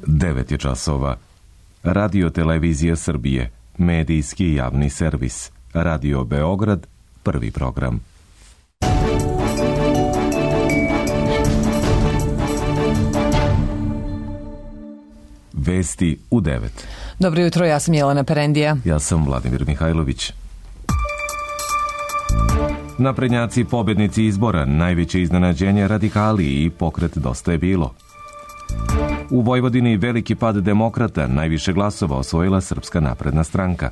9 je časova. Radio Televizija Srbije, medijski javni servis. Radio Beograd, prvi program. Vesti u 9. Dobro jutro, ja sam Jelena Perendija. Ja sam Vladimir Mihajlović. Naprednjaci pobednici izbora, najveće iznenađenje radikali i pokret Dosta je bilo. U Vojvodini veliki pad demokrata, najviše glasova osvojila Srpska napredna stranka.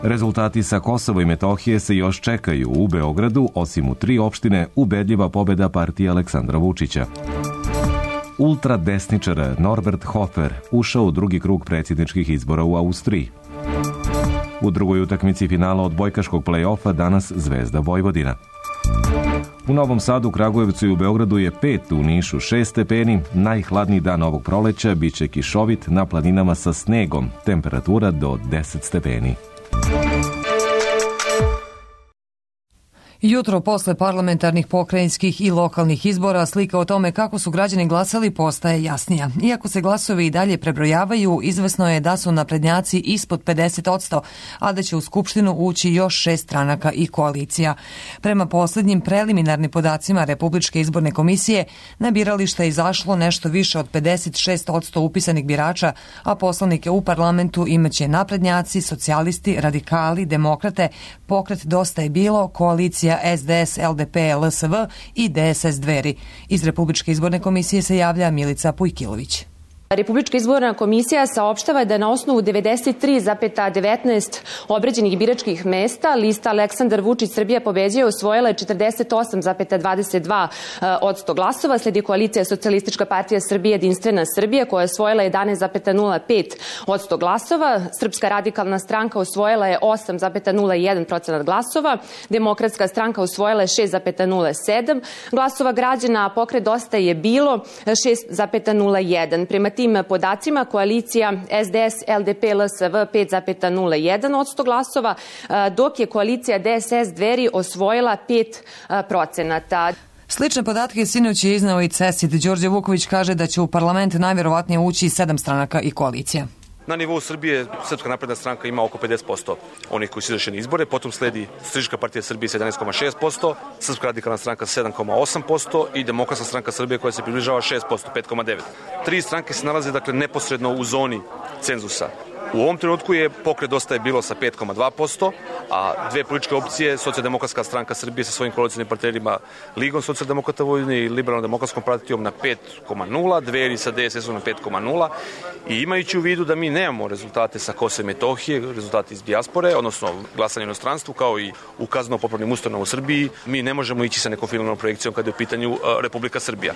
Rezultati sa Kosova i Metohije se još čekaju. U Beogradu, osim u 3 opštine, ubedljiva pobeda partije Aleksandra Vučića. Ultradesničar Norbert Hofer ušao u drugi krug predsjedničkih izbora u Austriji. U drugoj utakmici finala odbojkaškog play-offa danas Zvezda Vojvodina. U Novom Sadu, Kragujevcu i u Beogradu je 5, u Nišu 6 stepeni. Najhladniji dan ovog proleća biće kišovit, na planinama sa snegom, temperatura do 10 stepeni. Jutro posle parlamentarnih, pokrajinskih i lokalnih izbora slika o tome kako su građani glasali postaje jasnija. Iako se glasovi i dalje prebrojavaju, izvesno je da su naprednjaci ispod 50%, a da će u Skupštinu ući još 6 stranaka i koalicija. Prema poslednjim preliminarnim podacima Republičke izborne komisije, na birališta je izašlo nešto više od 56% upisanih birača, a poslanike u parlamentu imaće naprednjaci, socijalisti, radikali, demokrate, pokret Dosta je bilo, koalicija SDS, LDP, LSV i DSS Dveri. Iz Republičke izborne komisije se javlja Milica Pujkilović. Republička izborna komisija saopštava da na osnovu 93,19 obrađenih biračkih mesta lista Aleksandar Vučić Srbija pobeđuje osvojila je 48,22% glasova, sledi koalicija Socijalistička partija Srbije Jedinstvena Srbija koja je osvojila 11,05% glasova, Srpska radikalna stranka osvojila je 8,01% glasova, Demokratska stranka osvojila je 6,07 glasova građana, a pokret Dosta je bilo 6,01. Prema tim podacima koalicija SDS, LDP, LSV 5,01% glasova, dok je koalicija DSS Dveri osvojila 5%. Slične podatke sinoć je izneo i CESID. Đorđe Vuković kaže da će u parlament najverovatnije ući 7 stranaka i koalicija. Na nivou Srbije Srpska napredna stranka ima oko 50% onih koji su izašli na izbore, potom sledi Socijalistička partija Srbije sa 11,6%, Srpska radikalna stranka sa 7,8% i Demokratska stranka Srbije koja se približava 6%, 5,9%. 3 stranke se nalaze neposredno u zoni cenzusa. U ovom trenutku je pokret Dosta je bilo sa 5,2%, a 2 političke opcije, Socijaldemokratska stranka Srbije sa svojim koalicijnim partnerima Ligom socijaldemokrata Vojvodine i Liberalno-demokratskom partijom na 5,0%, Dveri sa DSS-om na 5,0%. I imajući u vidu da mi nemamo rezultate sa Kosova i Metohije, rezultate iz dijaspore, odnosno glasanje u inostranstvu, kao i u kazneno-popravnim ustanovama u Srbiji, mi ne možemo ići sa nekom finalnom projekcijom kada je u pitanju Republika Srbija.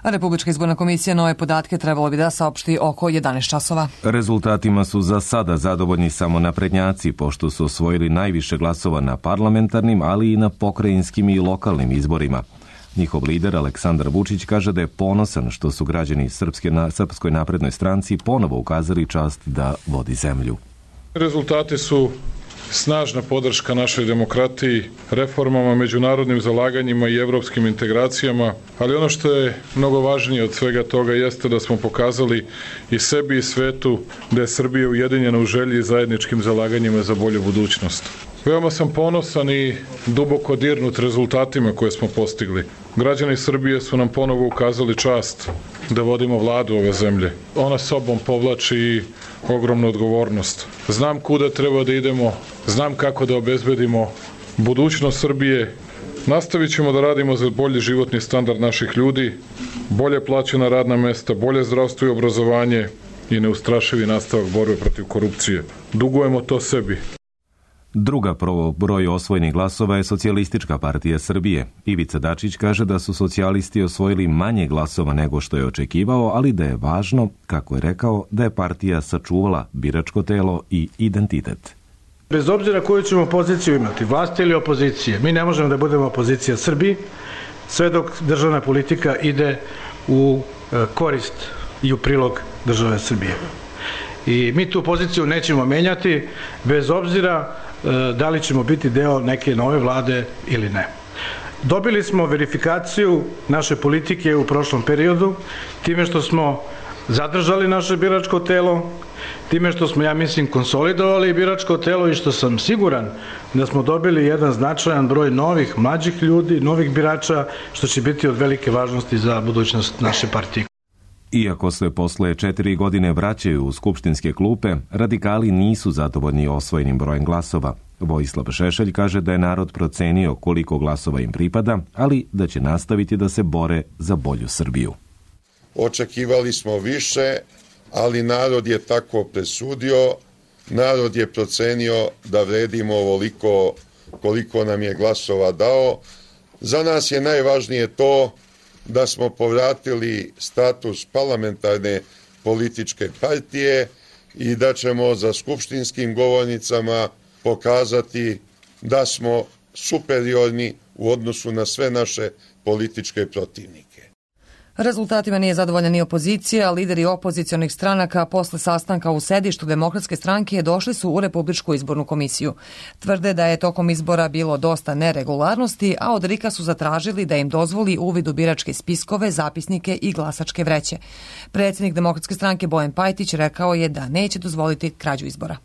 A Republička izborna komisija nove podatke trebalo bi da saopšti oko 11 časova. Rezultatima su za sada zadovoljni samo naprednjaci, pošto su osvojili najviše glasova na parlamentarnim, ali i na pokrajinskim i lokalnim izborima. Njihov lider Aleksandar Vučić kaže da je ponosan što su građani Srpskoj naprednoj stranci ponovo ukazali čast da vodi zemlju. Rezultati su snažna podrška našoj demokratiji, reformama, međunarodnim zalaganjima i evropskim integracijama, ali ono što je mnogo važnije od svega toga jeste da smo pokazali i sebi i svetu da je Srbija ujedinjena u želji i zajedničkim zalaganjima za bolju budućnost. Veoma sam ponosan i duboko dirnut rezultatima koje smo postigli. Građani Srbije su nam ponovo ukazali čast da vodimo vladu ove zemlje. Ona sobom povlači i ogromnu odgovornost. Znam kuda treba da idemo, znam kako da obezbedimo budućnost Srbije. Nastavit ćemo da radimo za bolji životni standard naših ljudi, bolje plaćena radna mesta, bolje zdravstvo i obrazovanje i neustrašivi nastavak borbe protiv korupcije. Dugujemo to sebi. Druga po broju osvojenih glasova je Socijalistička partija Srbije. Ivica Dačić kaže da su socijalisti osvojili manje glasova nego što je očekivao, ali da je važno, kako je rekao, da je partija sačuvala biračko telo i identitet. Bez obzira koju ćemo poziciju imati, vlasti ili opozicije, mi ne možemo da budemo opozicija Srbiji, sve dok državna politika ide u korist i u prilog države Srbije. I mi tu poziciju nećemo menjati, bez obzira da li ćemo biti deo neke nove vlade ili ne. Dobili smo verifikaciju naše politike u prošlom periodu time što smo zadržali naše biračko telo, time što smo, ja mislim, konsolidovali biračko telo i što sam siguran da smo dobili jedan značajan broj novih, mlađih ljudi, novih birača, što će biti od velike važnosti za budućnost naše partije. Iako se posle 4 godine vraćaju u skupštinske klupe, radikali nisu zadovoljni osvojenim brojem glasova. Vojislav Šešelj kaže da je narod procenio koliko glasova im pripada, ali da će nastaviti da se bore za bolju Srbiju. Očekivali smo više, ali narod je tako presudio, narod je procenio da vredimo ovoliko koliko nam je glasova dao. Za nas je najvažnije to da smo povratili status parlamentarne političke partije i da ćemo za skupštinskim govornicama pokazati da smo superiorni u odnosu na sve naše političke protivnike. Rezultatima nije zadovoljna ni opozicija, lideri opozicionih stranaka posle sastanka u sedištu Demokratske stranke došli su u Republičku izbornu komisiju. Tvrde da je tokom izbora bilo dosta neregularnosti, a od RIK-a su zatražili da im dozvoli uvid u biračke spiskove, zapisnike i glasačke vreće. Predsjednik Demokratske stranke Bojan Pajtić rekao je da neće dozvoliti krađu izbora.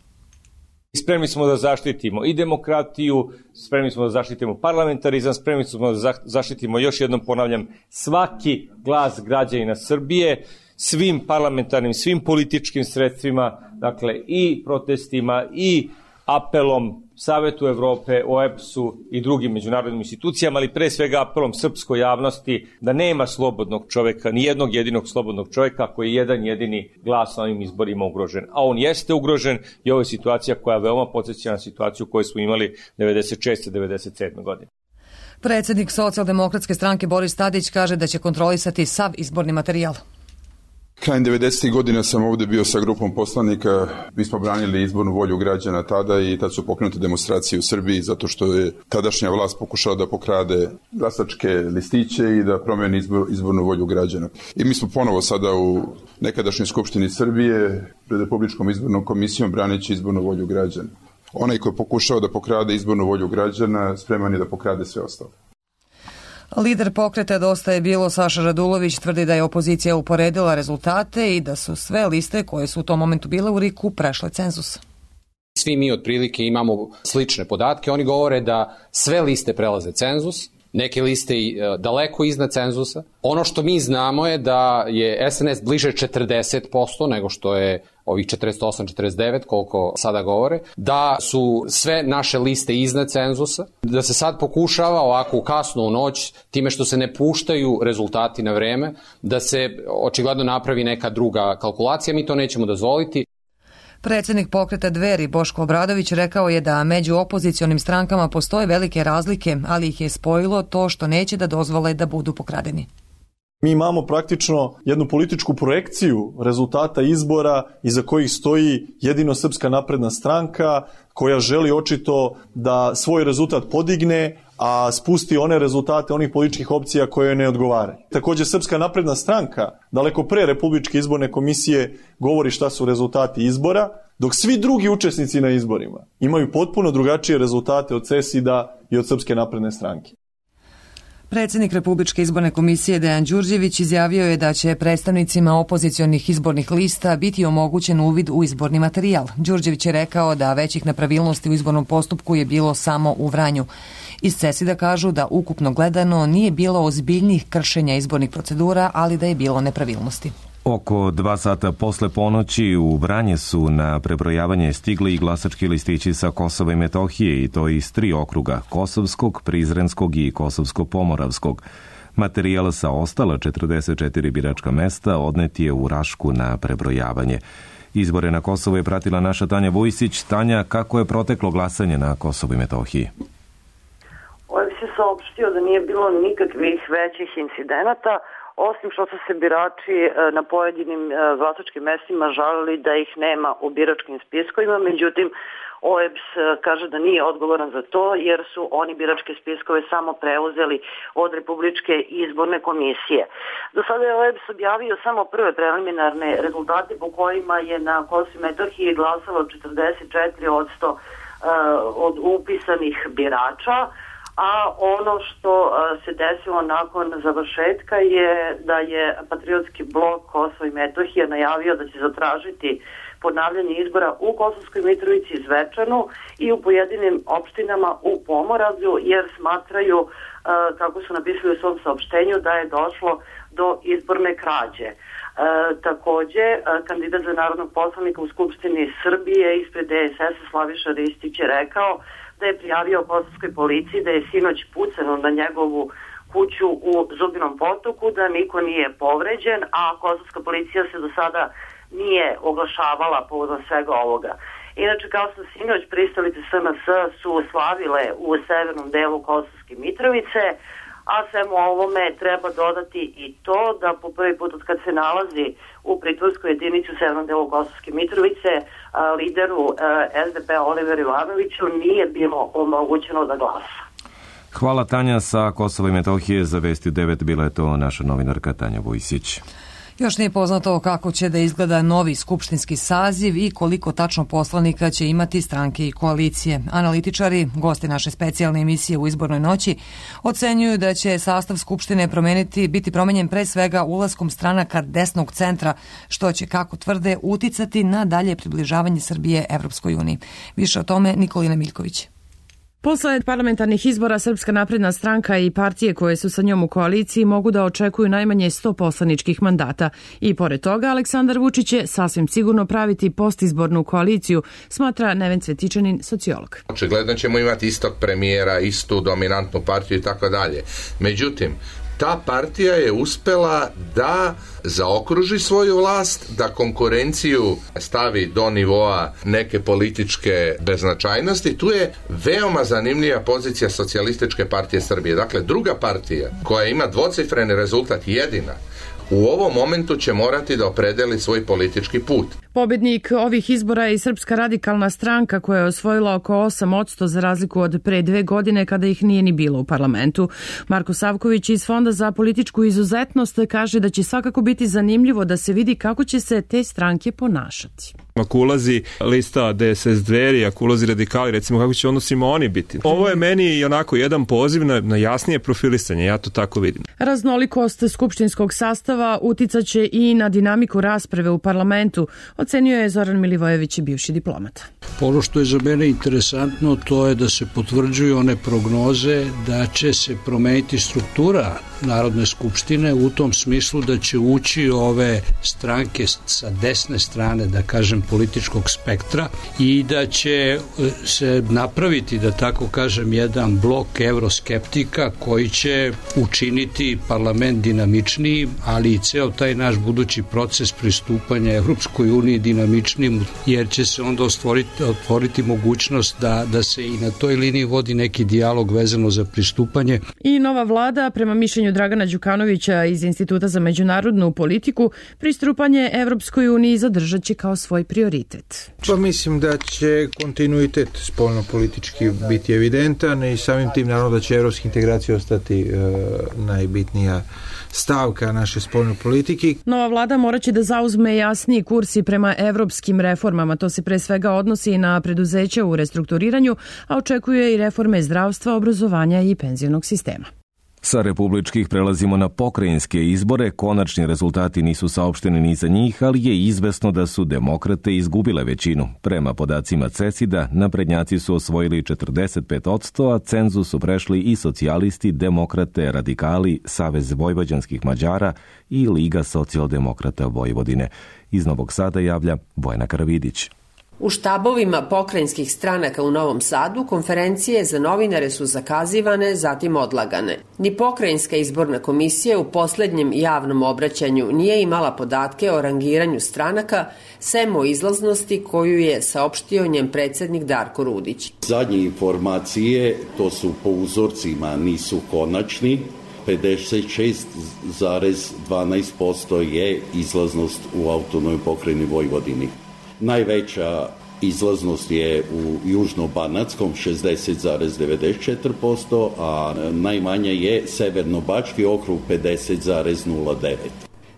Spremni smo da zaštitimo i demokratiju, spremni smo da zaštitimo parlamentarizam, spremni smo da zaštitimo, još jednom ponavljam, svaki glas građanina Srbije, svim parlamentarnim, svim političkim sredstvima, dakle i protestima i apelom Savetu Evrope, OEBS-u i drugim međunarodnim institucijama, ali pre svega apelom srpskoj javnosti da nema slobodnog čoveka, ni jednog jedinog slobodnog čoveka koji je jedan jedini glas na ovim izborima ugrožen. A on jeste ugrožen i ovo je situacija koja veoma podsjeća na situaciju koju smo imali 96. 97. godine. Predsjednik Socijaldemokratske stranke Boris Tadić kaže da će kontrolisati sav izborni materijal. Krajem 90. godina sam ovdje bio sa grupom poslanika, mi smo branili izbornu volju građana tada i tad su pokrenute demonstracije u Srbiji zato što je tadašnja vlast pokušala da pokrade glasačke listiće i da promeni izbornu volju građana. I mi smo ponovo sada u nekadašnjoj Skupštini Srbije pred Republičkom izbornom komisijom braneći izbornu volju građana. Onaj koji je pokušao da pokrade izbornu volju građana spreman je da pokrade sve ostalo. Lider pokreta Dosta je bilo Saša Radulović tvrdi da je opozicija uporedila rezultate i da su sve liste koje su u tom momentu bile u RIK-u prešle cenzus. Svi mi otprilike imamo slične podatke. Oni govore da sve liste prelaze cenzus, neke liste daleko iznad cenzusa. Ono što mi znamo je da je SNS bliže 40% nego što je ovih 48-49, koliko sada govore, da su sve naše liste iznad cenzusa, da se sad pokušava ovako u kasnu noć, time što se ne puštaju rezultati na vreme, da se očigledno napravi neka druga kalkulacija, mi to nećemo dozvoliti. Predsjednik pokreta Dveri Boško Obradović rekao je da među opozicionim strankama postoje velike razlike, ali ih je spojilo to što neće da dozvole da budu pokradeni. Mi imamo praktično jednu političku projekciju rezultata izbora iza kojih stoji jedino Srpska napredna stranka koja želi očito da svoj rezultat podigne, a spusti one rezultate onih političkih opcija koje ne odgovaraju. Također Srpska napredna stranka daleko pre Republičke izborne komisije govori šta su rezultati izbora, dok svi drugi učesnici na izborima imaju potpuno drugačije rezultate od CESID-a i od Srpske napredne stranke. Predsjednik Republičke izborne komisije Dejan Đurđević izjavio je da će predstavnicima opozicionih izbornih lista biti omogućen uvid u izborni materijal. Đurđević je rekao da većih nepravilnosti u izbornom postupku je bilo samo u Vranju. Iz CESID-a kažu da ukupno gledano nije bilo ozbiljnih kršenja izbornih procedura, ali da je bilo nepravilnosti. Oko 2 sata posle ponoći u Vranje su na prebrojavanje stigli i glasački listići sa Kosova i Metohije i to iz 3 okruga, Kosovskog, Prizrenskog i Kosovsko-Pomoravskog. Materijal sa ostala 44 biračka mesta odnet je u Rašku na prebrojavanje. Izbore na Kosovu je pratila naša Tanja Vujsić. Tanja, kako je proteklo glasanje na Kosovu i Metohiji? OEBS je saopštio da nije bilo nikakvih većih incidenata, osim što su se birači na pojedinim glasačkim mestima žalili da ih nema u biračkim spiskovima, međutim OEBS kaže da nije odgovoran za to jer su oni biračke spiskove samo preuzeli od Republičke izborne komisije. Do sada je OEBS objavio samo prve preliminarne rezultate po kojima je na Kosovu i Metohiji glasalo 44% od upisanih birača, a ono što se desilo nakon završetka je da je Patriotski blok Kosovo i Metohija najavio da će zatražiti ponavljanje izbora u Kosovskoj Mitrovici i Zvečanu i u pojedinim opštinama u Pomoravlju, jer smatraju, kako su napisali u svom saopštenju, da je došlo do izborne krađe. Takođe, kandidat za narodnog poslanika u Skupštini Srbije ispred DSS-a Slaviša Ristić je rekao da je prijavio kosovskoj policiji da je sinoć pucano na njegovu kuću u Zubinom Potoku, da niko nije povređen, a kosovska policija se do sada nije oglašavala povodom svega ovoga. Inače, kao što sinoć pristalice SNS su slavile u severnom delu Kosovske Mitrovice, a svemu ovome treba dodati i to da po prvi put od kad se nalazi u pritvorskoj jedinici u severnom delu Kosovske Mitrovice lideru SDP Oliveru Ivanoviću nije bilo omogućeno da glasa. Hvala Tanja sa Kosova i Metohije. Za Vesti 9 bila je to naša novinarka Tanja Vujsić. Još nije poznato kako će da izgleda novi skupštinski saziv i koliko tačno poslanika će imati stranke i koalicije. Analitičari, gosti naše specijalne emisije u izbornoj noći, ocenjuju da će sastav Skupštine biti promenjen pre svega ulaskom stranaka desnog centra, što će, kako tvrde, uticati na dalje približavanje Srbije Evropskoj uniji. Više o tome Nikolina Miljković. Posle parlamentarnih izbora Srpska napredna stranka i partije koje su sa njom u koaliciji mogu da očekuju najmanje 100 poslaničkih mandata. I pored toga, Aleksandar Vučić će sasvim sigurno praviti postizbornu koaliciju, smatra Neven Cvetičanin, sociolog. Očigledno ćemo imati istog premijera, istu dominantnu partiju i tako dalje. Međutim, ta partija je uspela da zaokruži svoju vlast, da konkurenciju stavi do nivoa neke političke beznačajnosti. Tu je veoma zanimljiva pozicija Socijalističke partije Srbije. Dakle, druga partija koja ima dvocifreni rezultat, jedina, u ovom momentu će morati da opredeli svoj politički put. Pobednik ovih izbora je i Srpska radikalna stranka koja je osvojila oko 8% za razliku od pre 2 godine kada ih nije ni bilo u parlamentu. Marko Savković iz Fonda za političku izuzetnost kaže da će svakako biti zanimljivo da se vidi kako će se te stranke ponašati. Ako ulazi lista DSS Dveri, ako ulazi radikali, recimo kako će odnosima oni biti. Ovo je meni onako jedan poziv na jasnije profilisanje, ja to tako vidim. Raznolikost skupštinskog sastava uticaće i na dinamiku rasprave u parlamentu, ocenio je Zoran Milivojević, bivši diplomata. Ono što je za mene interesantno, to je da se potvrđuju one prognoze da će se promeniti struktura Narodne skupštine u tom smislu da će ući ove stranke sa desne strane, da kažem, političkog spektra i da će se napraviti, da tako kažem, jedan blok evroskeptika koji će učiniti parlament dinamičniji, ali i ceo taj naš budući proces pristupanja Evropskoj uniji dinamičnim, jer će se onda otvoriti mogućnost da se i na toj liniji vodi neki dijalog vezano za pristupanje. I nova vlada, prema mišljenju Dragana Đukanovića iz Instituta za međunarodnu politiku, pristupanje Evropskoj uniji zadržat će kao svoj prioritet. Pa mislim da će kontinuitet spoljno-politički biti evidentan i samim tim naravno da će evropske integracije ostati najbitnija stavka naše spoljne politike. Nova vlada moraće da zauzme jasniji kurs i prema evropskim reformama. To se pre svega odnosi na preduzeća u restrukturiranju, a očekuje i reforme zdravstva, obrazovanja i penzionog sistema. Sa republičkih prelazimo na pokrajinske izbore. Konačni rezultati nisu saopšteni ni za njih, ali je izvesno da su demokrate izgubile većinu. Prema podacima CESID-a, naprednjaci su osvojili 45%, a cenzus su prešli i socijalisti, demokrate, radikali, Savez vojvođanskih Mađara i Liga socijaldemokrata Vojvodine. Iz Novog Sada javlja Bojana Karavidić. U štabovima pokrajinskih stranaka u Novom Sadu konferencije za novinare su zakazivane, zatim odlagane. Ni pokrajinska izborna komisija u poslednjem javnom obraćanju nije imala podatke o rangiranju stranaka, sem o izlaznosti koju je saopštio njen predsednik Darko Rudić. Zadnje informacije, to su po uzorcima, nisu konačni. 56,12% je izlaznost u autonomnoj pokrajini Vojvodini. Najveća izlaznost je u Južno-Banatskom 60,94%, a najmanja je Severno-Bački okrug 50,09%.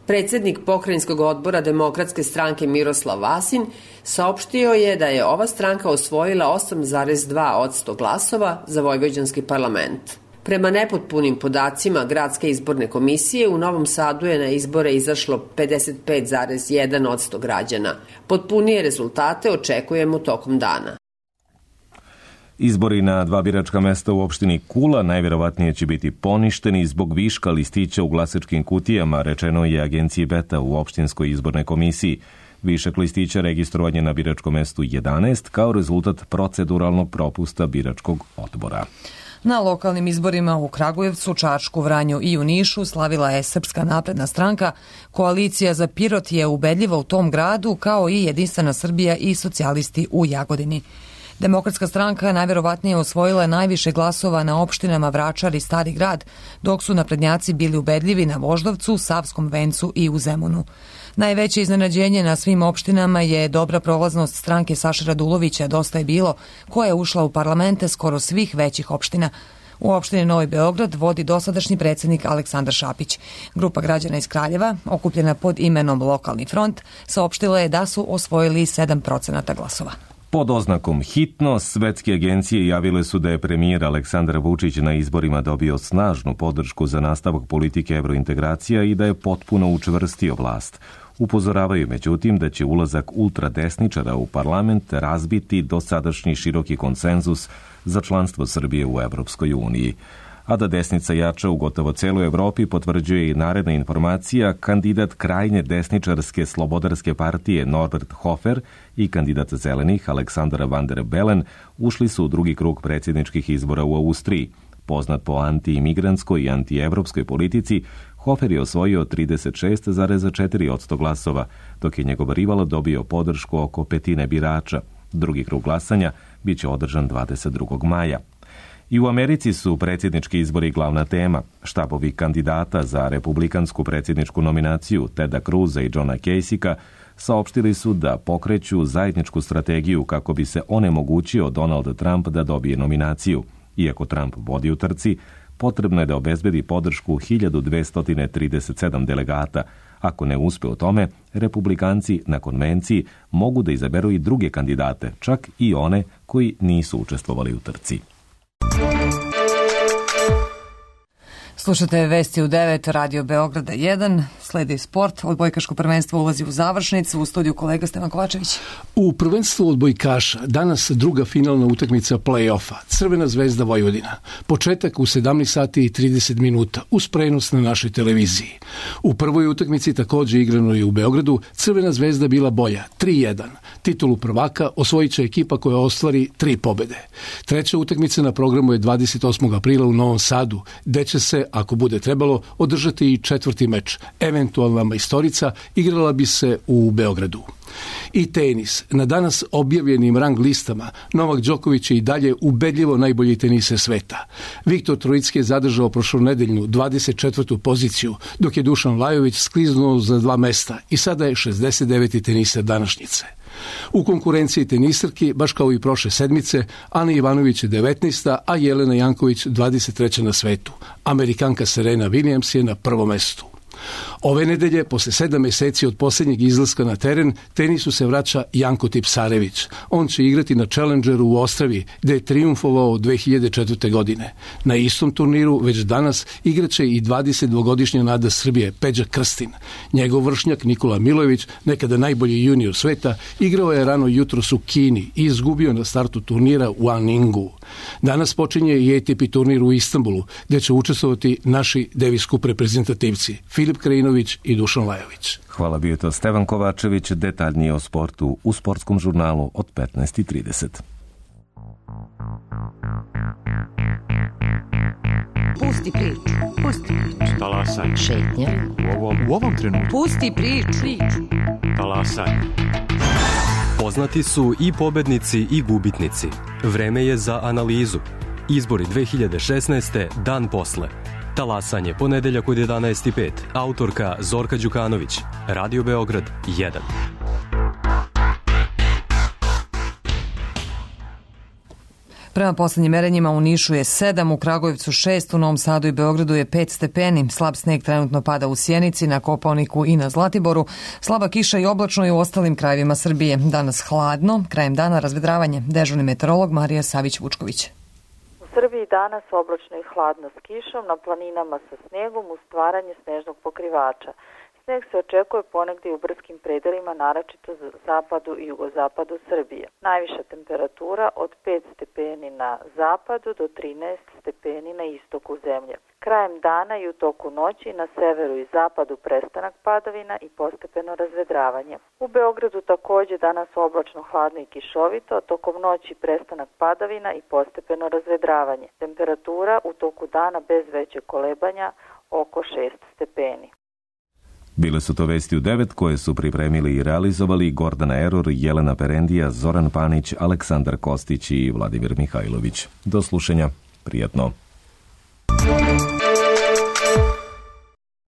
Predsednik pokrajinskog odbora Demokratske stranke Miroslav Vasin saopštio je da je ova stranka osvojila 8,2% glasova za vojvođanski parlament. Prema nepotpunim podacima Gradske izborne komisije, u Novom Sadu je na izbore izašlo 55,1% građana. Potpunije rezultate očekujemo tokom dana. Izbori na 2 biračka mesta u opštini Kula najvjerovatnije će biti poništeni zbog viška listića u glasačkim kutijama, rečeno je agenciji Beta u opštinskoj izbornoj komisiji. Višak listića registrovan je na biračkom mestu 11 kao rezultat proceduralnog propusta biračkog odbora. Na lokalnim izborima u Kragujevcu, Čačku, Vranju i u Nišu slavila je Srpska napredna stranka. Koalicija za Pirot je ubedljiva u tom gradu, kao i Jedinstvena Srbija i socijalisti u Jagodini. Demokratska stranka najvjerovatnije osvojila najviše glasova na opštinama Vračar i Stari grad, dok su naprednjaci bili ubedljivi na Voždovcu, Savskom vencu i u Zemunu. Najveće iznenađenje na svim opštinama je dobra prolaznost stranke Saše Radulovića Dosta je bilo, koja je ušla u parlamente skoro svih većih opština. U opštini Novi Beograd vodi dosadašnji predsjednik Aleksandar Šapić. Grupa građana iz Kraljeva, okupljena pod imenom Lokalni front, saopštila je da su osvojili 7% glasova. Pod oznakom hitno, svetske agencije javile su da je premijer Aleksandar Vučić na izborima dobio snažnu podršku za nastavak politike evrointegracija i da je potpuno učvrstio vlast. Upozoravaju međutim da će ulazak ultradesničara u parlament razbiti dosadašnji široki konsenzus za članstvo Srbije u Evropskoj uniji. A da desnica jača u gotovo celoj Evropi potvrđuje i naredna informacija, kandidat krajnje desničarske slobodarske partije Norbert Hofer i kandidat zelenih Aleksandar Van der Bellen ušli su u drugi krug predsjedničkih izbora u Austriji. Poznat po anti-imigrantskoj i anti-evropskoj politici, Hofer je osvojio 36,4% glasova, dok je njegov rival dobio podršku oko petine birača. Drugi krug glasanja biće održan 22. maja. I u Americi su predsjednički izbori glavna tema. Štabovi kandidata za republikansku predsjedničku nominaciju Teda Cruza i Johna Kasyka saopštili su da pokreću zajedničku strategiju kako bi se onemogućio Donald Trump da dobije nominaciju. Iako Trump vodi u trci, potrebno je da obezbedi podršku 1237 delegata. Ako ne uspe u tome, republikanci na konvenciji mogu da izaberu i druge kandidate, čak i one koji nisu učestvovali u trci. Slušate vesti u 9, Radio Beograda 1, sledi sport, odbojkaško prvenstvo ulazi u završnicu, u studiju kolega Stevan Kovačević. U prvenstvu odbojkaša danas druga finalna utakmica play-offa, Crvena zvezda Vojvodina. Početak u 17 sati i 30 minuta, uz prenos na našoj televiziji. U prvoj utakmici također igrano je u Beogradu, Crvena zvezda bila bolja, 3-1. Titulu prvaka osvojit će ekipa koja ostvari 3 pobede. Treća utakmica na programu je 28. aprila u Novom Sadu, gde će se, ako bude trebalo, održati i četvrti meč. Eventualna majstorica igrala bi se u Beogradu. I tenis. Na danas objavljenim rang listama Novak Đoković je i dalje ubedljivo najbolji teniser sveta. Viktor Trojicki je zadržao prošlonedeljnu 24. poziciju, dok je Dušan Lajović skliznuo za 2 mesta i sada je 69. teniser današnjice. U konkurenciji tenisarki, baš kao i prošle sedmice, Ana Ivanović je 19. a Jelena Janković 23. na svetu. Amerikanka Serena Williams je na prvom mestu. Ove nedelje, posle 7 meseci od posljednjeg izlaska na teren, tenisu se vraća Janko Tipsarević. On će igrati na Challengeru u Ostravi, gde je triumfovao 2004. godine. Na istom turniru već danas igraće i 22-godišnja nada Srbije, Peđa Krstin. Njegov vršnjak Nikola Milojević, nekada najbolji junior sveta, igrao je rano jutros u Kini i izgubio na startu turnira u Aningu. Danas počinje i ATP turnir u Istanbulu, gde će učestvovati naši Davis Cup reprezentativci Filip Krajinović i Dušan Lajović. Hvala, bio je to Stevan Kovačević, detaljnije o sportu u sportskom žurnalu od 15:30. Pusti priču, pusti priču. Talasaj. Šetnja. U ovom trenutku. Pusti priču. Talasaj. Poznati su i pobednici i gubitnici. Vreme je za analizu. Izbori 2016. dan posle. Talasanje, ponedeljak od 11:05. Autorka Zorka Đukanović. Radio Beograd 1. Prema poslednjim merenjima u Nišu je 7, u Kragujevcu 6, u Novom Sadu i Beogradu je 5 stepeni. Slab sneg trenutno pada u Sjenici, na Kopaoniku i na Zlatiboru. Slaba kiša i oblačno je u ostalim krajevima Srbije. Danas hladno, krajem dana razvedravanje. Dežurni meteorolog Marija Savić-Vučković. U Srbiji danas oblačno i hladno s kišom, na planinama sa snegom uz stvaranje snežnog pokrivača. Sneg se očekuje ponegdje u brskim predelima, naročito za zapadu i jugozapadu Srbije. Najviša temperatura od 5 stepeni na zapadu do 13 stepeni na istoku zemlje. Krajem dana i u toku noći na severu i zapadu prestanak padavina i postepeno razvedravanje. U Beogradu također danas oblačno, hladno i kišovito, tokom noći prestanak padavina i postepeno razvedravanje. Temperatura u toku dana bez većeg kolebanja oko 6 stepeni. Bile su to vesti u 9 koje su pripremili i realizovali Gordana Eror, Jelena Perendija, Zoran Panić, Aleksandar Kostić i Vladimir Mihajlović. Do slušanja. Prijatno.